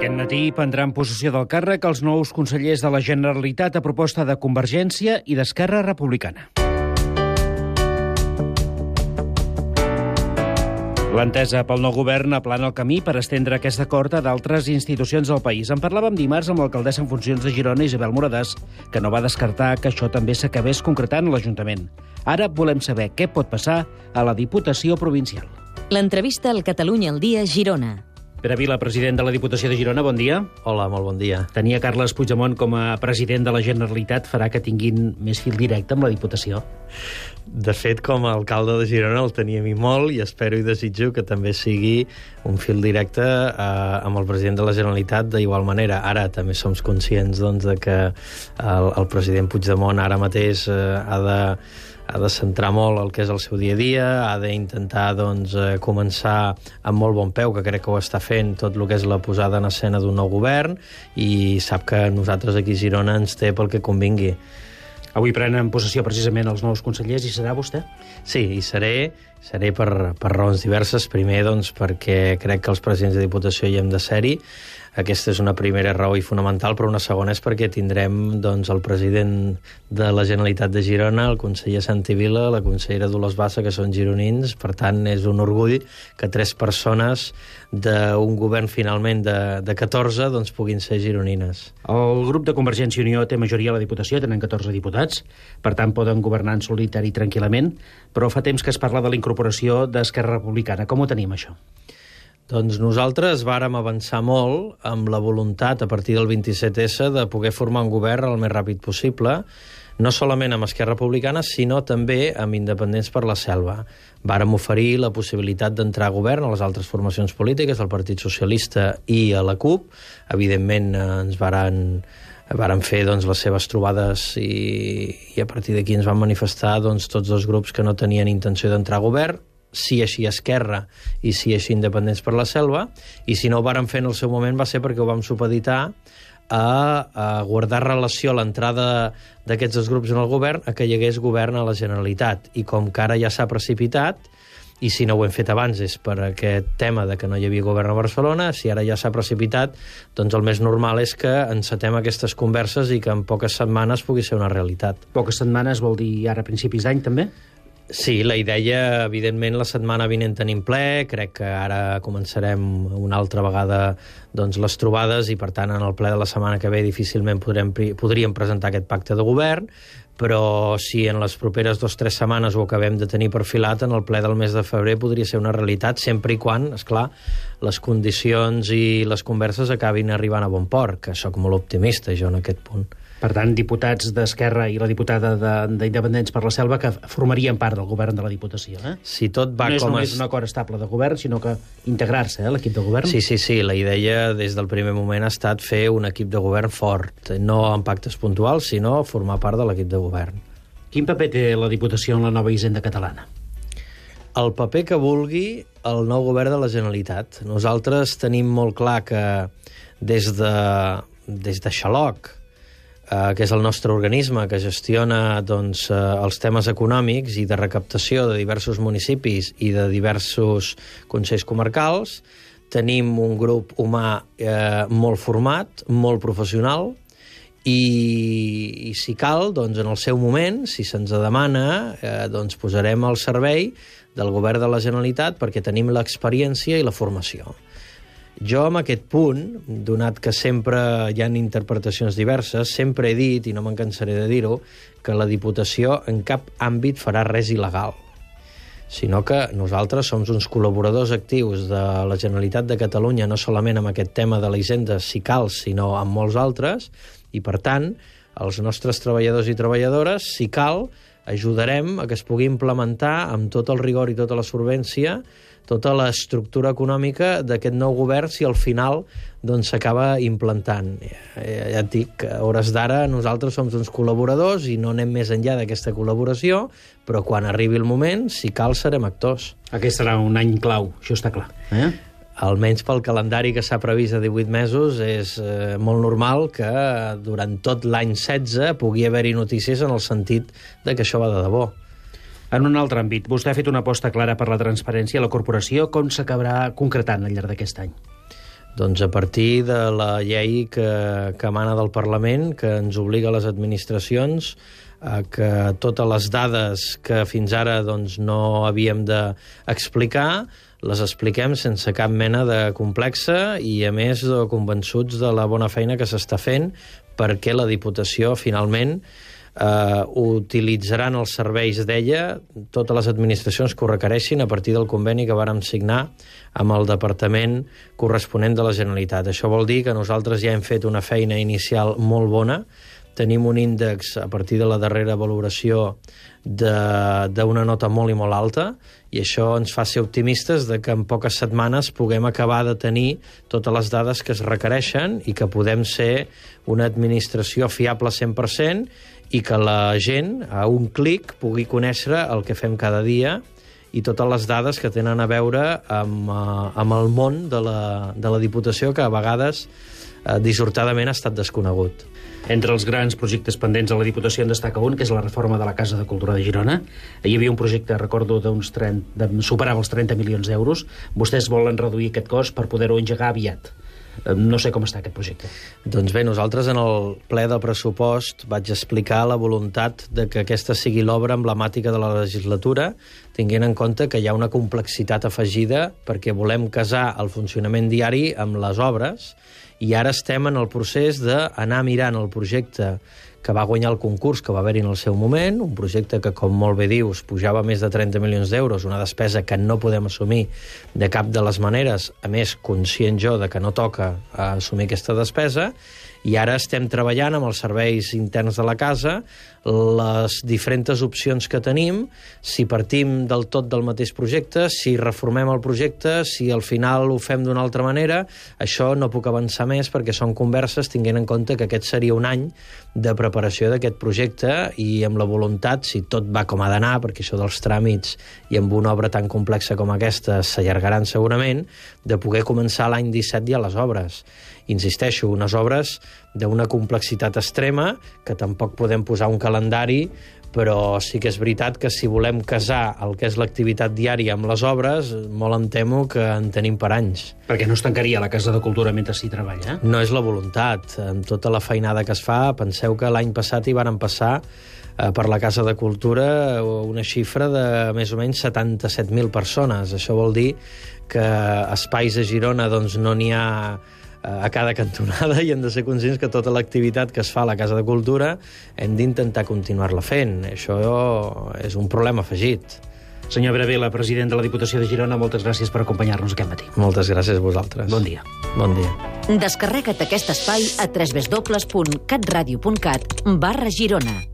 Aquest matí prendran possessió del càrrec els nous consellers de la Generalitat a proposta de Convergència i d'Esquerra Republicana. L'entesa pel nou govern aplana el camí per estendre aquest acord a d'altres institucions del país. En parlàvem dimarts amb l'alcaldessa en funcions de Girona, Isabel Moradàs, que no va descartar que això també s'acabés concretant a l'Ajuntament. Ara volem saber què pot passar a la Diputació Provincial. L'entrevista al Catalunya al dia, Girona. Pere Vila, president de la Diputació de Girona, bon dia. Hola, molt bon dia. Tenir a Carles Puigdemont com a president de la Generalitat farà que tinguin més fil directe amb la Diputació? De fet, com a alcalde de Girona el tenia a mi molt i espero i desitjo que també sigui un fil directe amb el president de la Generalitat d'igual manera. Ara també som conscients de que el president Puigdemont ara mateix ha de centrar molt el que és el seu dia a dia, ha d'intentar començar amb molt bon peu, que crec que ho està fent, tot el que és la posada en escena d'un nou govern, i sap que nosaltres aquí a Girona ens té pel que convingui. Avui prenen possessió precisament els nous consellers, i serà vostè? Sí, i seré per raons diverses. Primer, perquè crec que els presidents de Diputació hi hem de ser-hi. Aquesta és una primera raó i fonamental, però una segona és perquè tindrem el president de la Generalitat de Girona, el conseller Santi Vila, la consellera Dolors Bassa, que són gironins. Per tant, és un orgull que 3 persones d'un govern finalment de 14 puguin ser gironines. El grup de Convergència i Unió té majoria a la Diputació, tenen 14 diputats, per tant poden governar en solitari tranquil·lament, però fa temps que es parla de la incorporació d'Esquerra Republicana. Com ho tenim, això? Doncs nosaltres vàrem avançar molt amb la voluntat, a partir del 27S, de poder formar un govern el més ràpid possible, no solament amb Esquerra Republicana, sinó també amb Independents per la Selva. Vàrem oferir la possibilitat d'entrar a govern a les altres formacions polítiques, al Partit Socialista i a la CUP. Evidentment ens varen fer les seves trobades i a partir d'aquí ens van manifestar tots dos grups que no tenien intenció d'entrar a govern, si així Esquerra i si així Independents per la Selva, i si no ho varen fer en el seu moment va ser perquè ho vam supeditar a guardar relació a l'entrada d'aquests dos grups en el govern a que hi hagués govern a la Generalitat. I com que ara ja s'ha precipitat, i si no ho hem fet abans és per aquest tema de que no hi havia govern a Barcelona, si ara ja s'ha precipitat, el més normal és que encetem aquestes converses i que en poques setmanes pugui ser una realitat. Poques setmanes vol dir ara a principis d'any, també? Sí, la idea, evidentment, la setmana vinent tenim ple, crec que ara començarem una altra vegada les trobades i, per tant, en el ple de la setmana que ve difícilment podríem presentar aquest pacte de govern, però si en les properes 2 o 3 setmanes ho acabem de tenir perfilat, en el ple del mes de febrer podria ser una realitat, sempre i quan, esclar, les condicions i les converses acabin arribant a bon port, que sóc molt optimista jo en aquest punt. Per tant, diputats d'Esquerra i la diputada d'Independents per la Selva que formarien part del govern de la Diputació, eh? Si tot va no és com només un acord estable de govern, sinó que integrar-se, a l'equip de govern? Sí, la idea des del primer moment ha estat fer un equip de govern fort, no en pactes puntuals, sinó formar part de l'equip de govern. Quin paper té la Diputació en la nova Hisenda catalana? El paper que vulgui el nou govern de la Generalitat. Nosaltres tenim molt clar que des de Xaloc, que és el nostre organisme que gestiona els temes econòmics i de recaptació de diversos municipis i de diversos consells comarcals, tenim un grup humà molt format, molt professional, i si cal, en el seu moment, si se'ns demana, posarem al servei del govern de la Generalitat perquè tenim l'experiència i la formació. Jo, en aquest punt, donat que sempre hi ha interpretacions diverses, sempre he dit, i no me'n cansaré de dir-ho, que la Diputació en cap àmbit farà res il·legal, sinó que nosaltres som uns col·laboradors actius de la Generalitat de Catalunya, no solament amb aquest tema de la Hisenda, si cal, sinó amb molts altres, i, per tant, els nostres treballadors i treballadores, si cal, ajudarem a que es pugui implementar amb tot el rigor i tota la solvència tota l'estructura econòmica d'aquest nou govern si al final s'acaba implantant. Ja et dic, a hores d'ara nosaltres som uns col·laboradors i no anem més enllà d'aquesta col·laboració, però quan arribi el moment, si cal, serem actors. Aquest serà un any clau, això està clar. Almenys pel calendari que s'ha previst de 18 mesos, és molt normal que durant tot l'any 16 pugui haver-hi notícies en el sentit de que això va de debò. En un altre àmbit, vostè ha fet una aposta clara per la transparència a la corporació. Com s'acabarà concretant al llarg d'aquest any? Doncs a partir de la llei que emana del Parlament, que ens obliga a les administracions a que totes les dades que fins ara no havíem d'explicar les expliquem sense cap mena de complexa i, a més, convençuts de la bona feina que s'està fent perquè la Diputació, finalment, utilitzaran els serveis d'ella totes les administracions que ho requereixin a partir del conveni que vàrem signar amb el departament corresponent de la Generalitat. Això vol dir que nosaltres ja hem fet una feina inicial molt bona. Tenim un índex, a partir de la darrera valoració, d'una nota molt i molt alta, i això ens fa ser optimistes de que en poques setmanes puguem acabar de tenir totes les dades que es requereixen i que podem ser una administració fiable 100% i que la gent, a un clic, pugui conèixer el que fem cada dia i totes les dades que tenen a veure amb el món de la Diputació, que a vegades dissortadament ha estat desconegut. Entre els grans projectes pendents a la Diputació en destaca un, que és la reforma de la Casa de Cultura de Girona. Hi havia un projecte, recordo, superava els 30 milions d'euros. Vostès volen reduir aquest cost per poder-ho engegar aviat. No sé com està aquest projecte. Doncs bé, nosaltres en el ple del pressupost vaig explicar la voluntat de que aquesta sigui l'obra emblemàtica de la legislatura, tenint en compte que hi ha una complexitat afegida perquè volem casar el funcionament diari amb les obres, i ara estem en el procés d'anar mirant el projecte que va guanyar el concurs que va haver-hi en el seu moment, un projecte que, com molt bé dius, pujava més de 30 milions d'euros, una despesa que no podem assumir de cap de les maneres, a més, conscient jo de que no toca assumir aquesta despesa, i ara estem treballant amb els serveis interns de la casa les diferents opcions que tenim, si partim del tot del mateix projecte, si reformem el projecte, si al final ho fem d'una altra manera. Això no puc avançar més perquè són converses tenint en compte que aquest seria un any de preparació d'aquest projecte i amb la voluntat, si tot va com ha d'anar, perquè això dels tràmits i amb una obra tan complexa com aquesta s'allargaran segurament, de poder començar l'any 17 ja les obres. Insisteixo, unes obres d'una complexitat extrema que tampoc podem posar un calendari, però sí que és veritat que si volem casar el que és l'activitat diària amb les obres, molt em temo que en tenim per anys. Perquè no es tancaria la Casa de Cultura mentre s'hi treballa? No és la voluntat. Amb tota la feinada que es fa, penseu que l'any passat hi varen passar per la Casa de Cultura una xifra de més o menys 77.000 persones. Això vol dir que espais a Girona no n'hi ha a cada cantonada i hem de ser conscients que tota l'activitat que es fa a la Casa de Cultura hem d'intentar continuar-la fent. Això és un problema afegit. Senyor Bravela, president de la Diputació de Girona, moltes gràcies per acompanyar-nos aquest matí. Moltes gràcies a vosaltres. Bon dia. Bon dia. Descarrega't aquest espai a www.catradio.cat/Girona.